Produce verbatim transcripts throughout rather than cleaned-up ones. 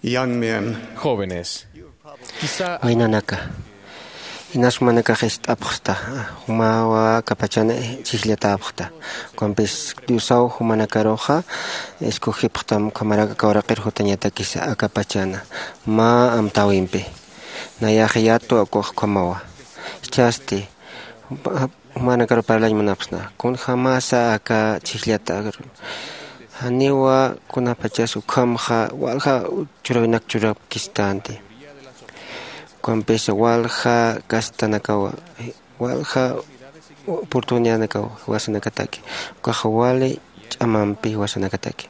Young men, jóvenes, quizá waynanaka, inas jumanakax ist'apxsta, jumawa aka pachan chhijllatäpxta. Ukampis Diosaw jumanakaruxa escogipxtam ukhamarak aka uraqir jutañatakisa aka pachana mä amtäwimpi. Nayax yatwa ukax ukhamawa. Jichhasti jumanakaru parlañ munapxsna, kunjämasa aka chhijllata, janiwa kunapachas ukhamxa walja churawinak churapkistänti. Ukampis walja castanakawa, walja oportunidadnakawa jiwasanakataki, ukax wali ch'amampi jiwasanakataki.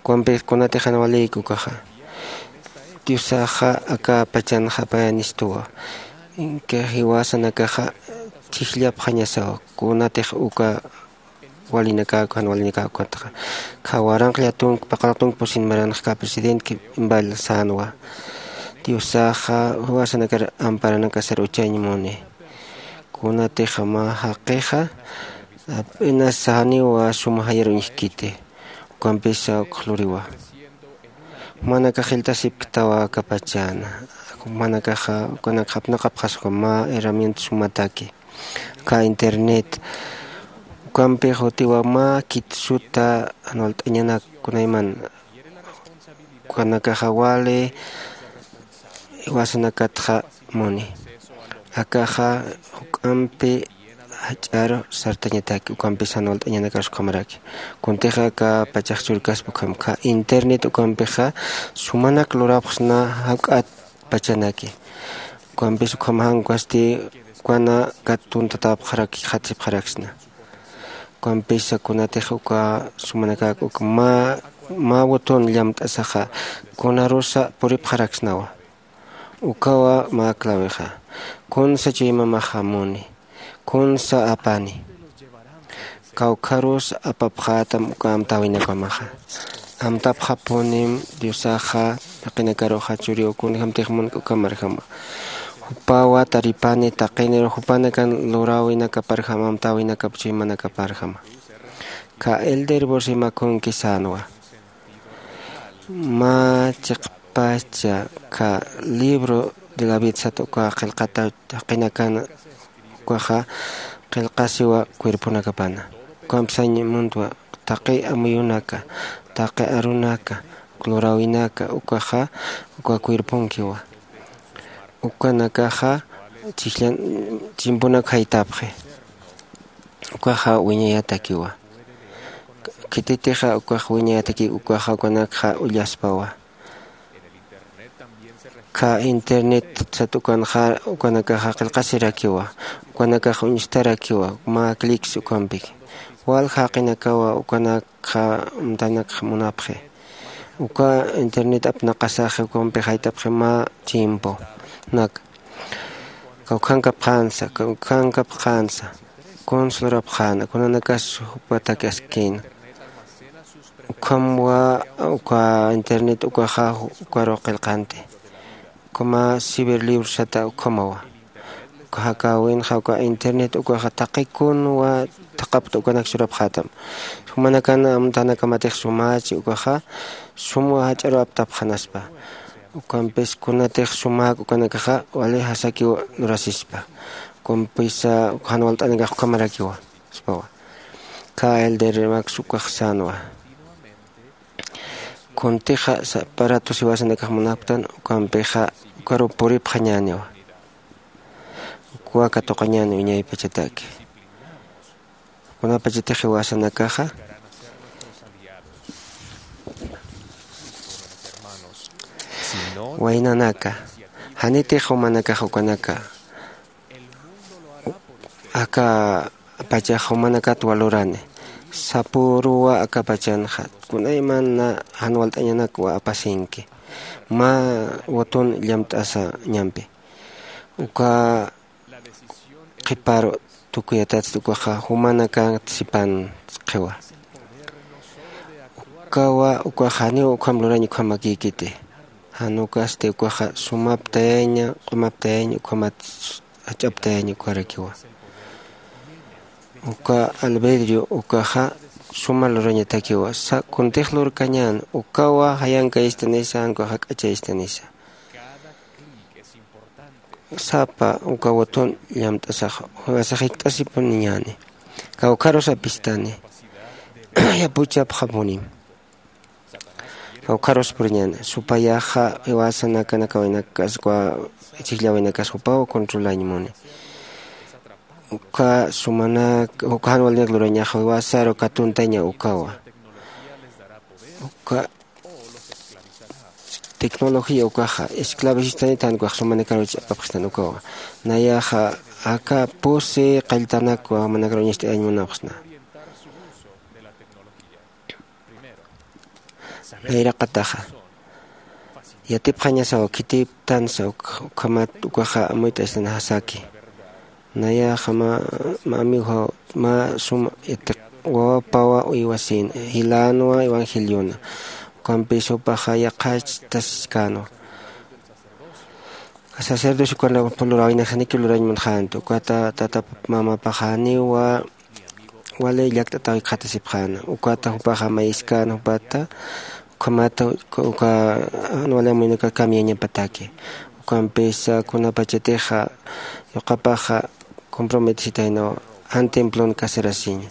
Ukampis kunatix jan walïki ukaxa, Diosaxa aka pachanxa apayanistuwa. Inka jiwasanakaxa chhijllapxañasawa, kunatix uka walinakaku, jan walinakaku ukatxa. Kha waranqalla tunka, paqallaq tunka pusin maranxka presidente Kimball sänwa, Diosaxa jiwasanakar amparanakasar uchañ muni. Kunatix mä jaqixa apenas janiwa sum jayar uñjkiti. Ukampisa ukx luriwa. Jumanakax jiltasipktawa aka pachana. Jumanakaxa ukanakxa apnaqapxaswa mä herramienta sumataki, aka internet. Ukampix utiwa mä khitsuta jan walt'añanak kunayman. Ukanakaxa wali jiwasanakatxa muni. Akaxa juk'ampi jach'ar sartañataki, ukampis jan walt'añanakar ukhamaraki. Kuntix aka pachax churkaspa ukham, aka internet ukampixa sumanak lurapxsna jak'at pachanaki. Ukampis ukham jan ukasti ukanakat tuntatäpxaraki, qhatsipxaraksna. Ukampisa kunatix uka sumanakak uka mä, mä botón llamt'asaxa kunarusa puripxaraksnawa. Ukawa mä clavexa. Kunsa chuymamaxa muni, kunsa apani. Kawkharus apapxätam uka amtäwinakamaxa. Amtapxapunim Diosaxa taqinakaruxa churiw kunjämtix munki ukhamarjama. Jupawa taripani taqinir jupanakan luräwinakaparjama, amtäwinakap chuymanakaparjama. Aka elder Bosima kunki sänwa. Mä chiqpacha aka libro de la vida sat uka qillqata jaqinakan ukaxa qillqasiwa cuerponakapana. Ukamp sañ muntwa taqi amuyunaka, taqi arunaka, luräwinaka ukaxa uka cuerponkiwa. Ukanakaxa chhijllan chimpunak jaytapxi. Ukaxa wiñayatakiwa. Khititixa ukax wiñayataki ukaxa ukanakxa ullaspawa. Aka internet sat ukanxa ukanakaxa qillqasirakiwa. Ukanakaxa uñstarakiwa mä clics ukampiki. Walja jaqinakawa ukanakxa amtanakx munapxi. Uka internet apnaqasaxi ukampi jaytapxi mä tiemponak. Kawkhankapxänsa, kawkhankapxänsa, kuns lurapxäna, kunanakas jupatak askïna. Ukhamwa uka internet ukaxa ukaru qillqanti. Ukhama ciberlibro sata ukhamawa. Uka jakäwinxa uka internet ukaxa taqi kunwa thaqhapta ukanak churapxätam. Jumanakan amtanakamatix sumächi ukaxa sumwa jach'aru aptapxanaspa. Ukampis kunatix sumäk ukanakaxa wali jasakiw lurasispa. Ukampisa jan walt'anakax ukhamarakiwa. Saspawa. Aka elder Max ukax sänwa. Kuntixa saparatus jiwasanakax munapktan, ukampixa ukaru puripxañäniwa. Ukwa katuqañäni wiñaypachataki. Kunapachatix jiwasanakaxa waynanaka, janitix jumanakax ukanaka. Aka pachax jumanakat walurani. Sapüruwa aka pachanxa. Kunaymana jan walt'añanakwa apasinki. Mä botón llamt'asañampi. Uka qhiparu tukuyatatsti ukaxa jumanakat sipan siqiwa. Ukawa ukax janiw ukham lurañ ukhamakïkiti. Jan ukasti ukaxa sumaptayaña, q'umaptayaña, ukhamat jach'aptayaña ukarakiwa. Uka albedrio ukaxa suma lurañatakiwa. Kuntix lurkañän ukawa jayankayistanisa, jankaw jak'achayistanisa. Sapa uka botón llamt'asax jiwasax jikt'asipuniñäni. Kawkharus apistani. Yapuchapxapunim. Kawkharus puriñäni supayaxa jiwasanakanakawinakas uka chijllawinakas jupaw controlañ muni. Uka sumanak uka jan walinak lurañaxa jiwasaru katuntaña ukawa. Uka tecnología ukaxa esclavisistanit jan ukax sumanakaru ch'apapxistan ukawa. Nayaxa aka pusi qalltanakwa jumanakaru uñacht'ayañ munapxsna. Nayraqataxa yatipxañasaw khitiptansa ukhamat ukaxa amuyt'astan jasaki. Nayaxa mä amigoxa mä suma yatiq wawapawa uywasïna jilänwa evangeliona. Ukampis jupaxa yaqhachtaskänwa. Sacerdocio ukanakpun luräwinaksa janiki lurañ munxänti ukata tata mamapaxa janiwa wali llakt'ataw jikxatasipxäna. Ukata jupaxa mayiskäna jupata ukhamata uka jan wali amuyunaka camiañapataki. Ukampisa kunapachatixa yuqapaxa comprometesitaynaw jan templon casarasiña.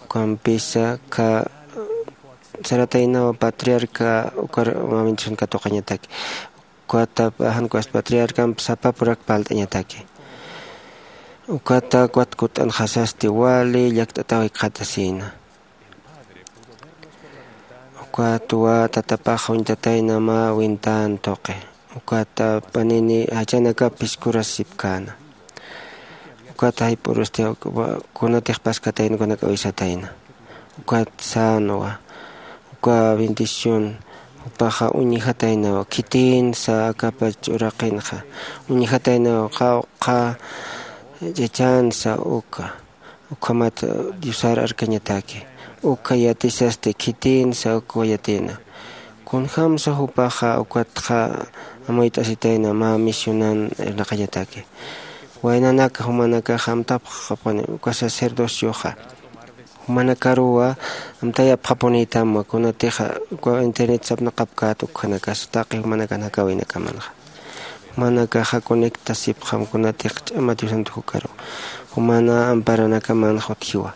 Ukampisa ka sarataynaw patriarca ukar bendición katuqañataki. Ukata jan ukas patriarcamp sapapurak parlt'añataki. Ukata ukat kutt'anxasasti wali llakt'ataw jikxatasïna. Ukatwa tatapax uñtatayna mä wintän tuqi. Ukata panini jachanakap phiskurasipkäna. Ukata jayp'urusti kunatix paskatayna ukanak awisatayna. Ukat sänwa uka bendición. Jupaxa uñjataynaw khitïnsa akapach uraqinxa uñjataynaw qawqha ch'achänsa uka. Ukhamat diosar arkañataki uka yatisasti khitïnsa ukwa yatina. Kunjämsa jupaxa ukatxa amuyt'asitayna mä misionan irnaqañataki. Waynanaka jumanakaxa amtapxapuni uka sacerdocioxa jumanakaruwa amtayapxapunïtamwa kunatixa uka internet sapnaqapkät ukkhanakas taqi jumanakan jakawinakamanxa. Jumanakaxa conectasipxam kunatix ch'ama diosant jukaru jumana amparanakamanxa utjiwa.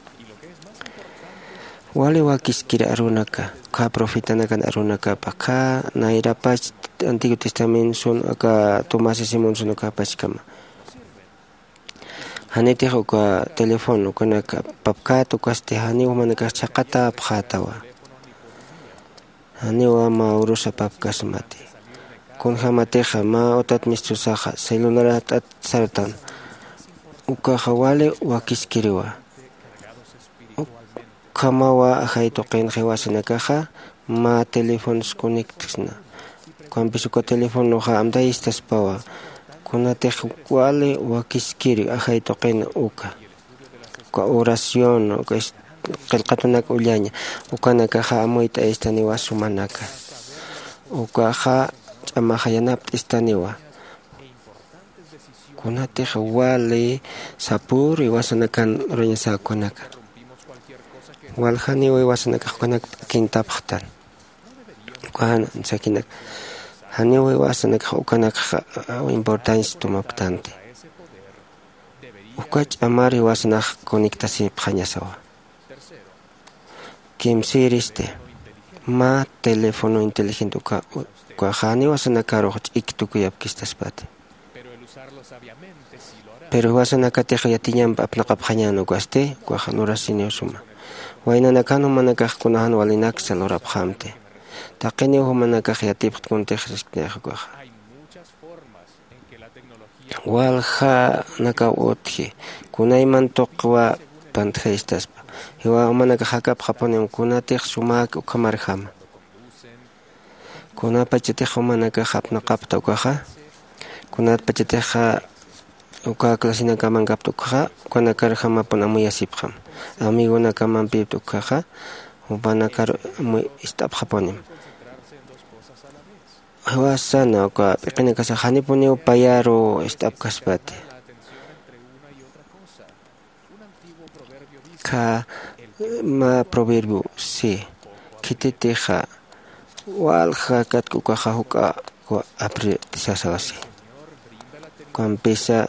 Wali wakiskir arunaka ukkha profetanakan arunakapa ukkha nayrapach antiguo testamentosun aka tomás simonson ukapachkama. Janitix uka teléfono ukanak apapkät ukasti janiw jumanakax chhaqatäpxätawa. Janiwa mä urus apapkasmati. Kunjämatixa mä utat mistusaxa celularat'at sartan ukaxa wali wakiskiriwa. Ukhamawa ajay tuqinxa jiwasanakaxa mä teléfonos conectsna. Ukampis uka teléfonoxa amtayistaspawa kunatix wali wakiskiri ajay tuqina uka uka oración uka qillqatunak ullaña ukanakaxa amuyt'ayistaniwa sumanaka. Ukaxa ch'amaxa yanapt'istaniwa kunatix wali sapür iwasanakan urañasäkunaka. Waljaniw iwasanakax ukanak t'akintapxtan. Ukan sakinak janiw iwasanakax ukanakxa importancia tumapktanti. Uka ch'amar iwasanax conectasipxañasawa. Kimsïristi mä teléfono inteligente uka ukaxa janiw iwasanakarux ch'ik tukuyapkistaspati. Pero jiwasanakatix yatiñamp apnaqapxañän ukasti ukax lurasiniw suma. Waynanakan jumanakax kunajan walinaksa lurapxamti. Taqiniw jumanakax yatipxt kuntix sisknix ukaxa. Waljanakaw utji kunayman tuqwa pantjayistaspa. Jiwa jumanakax jakapxapunim kunatix sumäk ukhamarjama. Kunapachatix jumanakax apnaqapta ukaxa kunatpachatix uka clasinakaman kapta ukaxa ukanakarjamapun amuyasipxam. Amigonakamampipta ukaxa jupanakar amuy ist'apxapunim. Jiwasana uka p'iqinakasax janipuniw payaru ist'apkaspati. Kha Mä proverbio si khititixa walja katk'ukaxa juk'a apri sasawasi. Ukampisa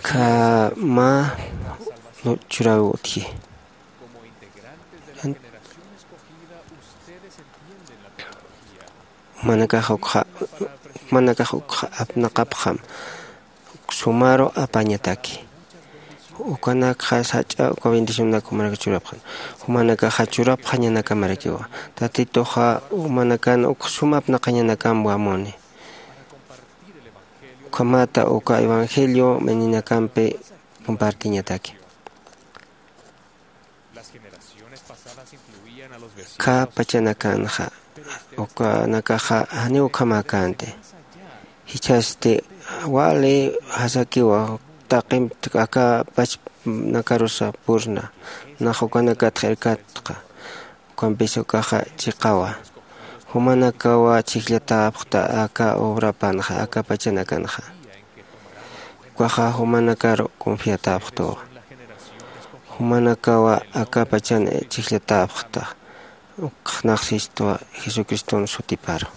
kha mä churaw utji. Jumanakax ukxa jumanakax ukxa apnaqapxam sumaru apañataki. Ukanakxa sach'a uka bendicionanak jumanaka churapxan. Jumanakaxa churapxañanakamarakiwa. Tatituxa jumanakan ukxa suma apnaqañanakam wamuni. Ukhamata uka evangelio meninakampi compartiñataki. Kha pachanakanxa ukanakaxa janiw ukhamäkänti. Jichhasti wali jasakiwa taqimp aka pachpnakarusa purna nax ukanakatxa irkatqa. Ukampis ukaxa chiqawa. Jumanakawa chhijllatäpxta aka obrapanxa aka pachanakanxa. Ukaxa jumanakaru confiatäpxtuwa. Jumanakawa aka pachan chhijllatäpxta. Ukxnaxsistwa jesucriston sutiparu.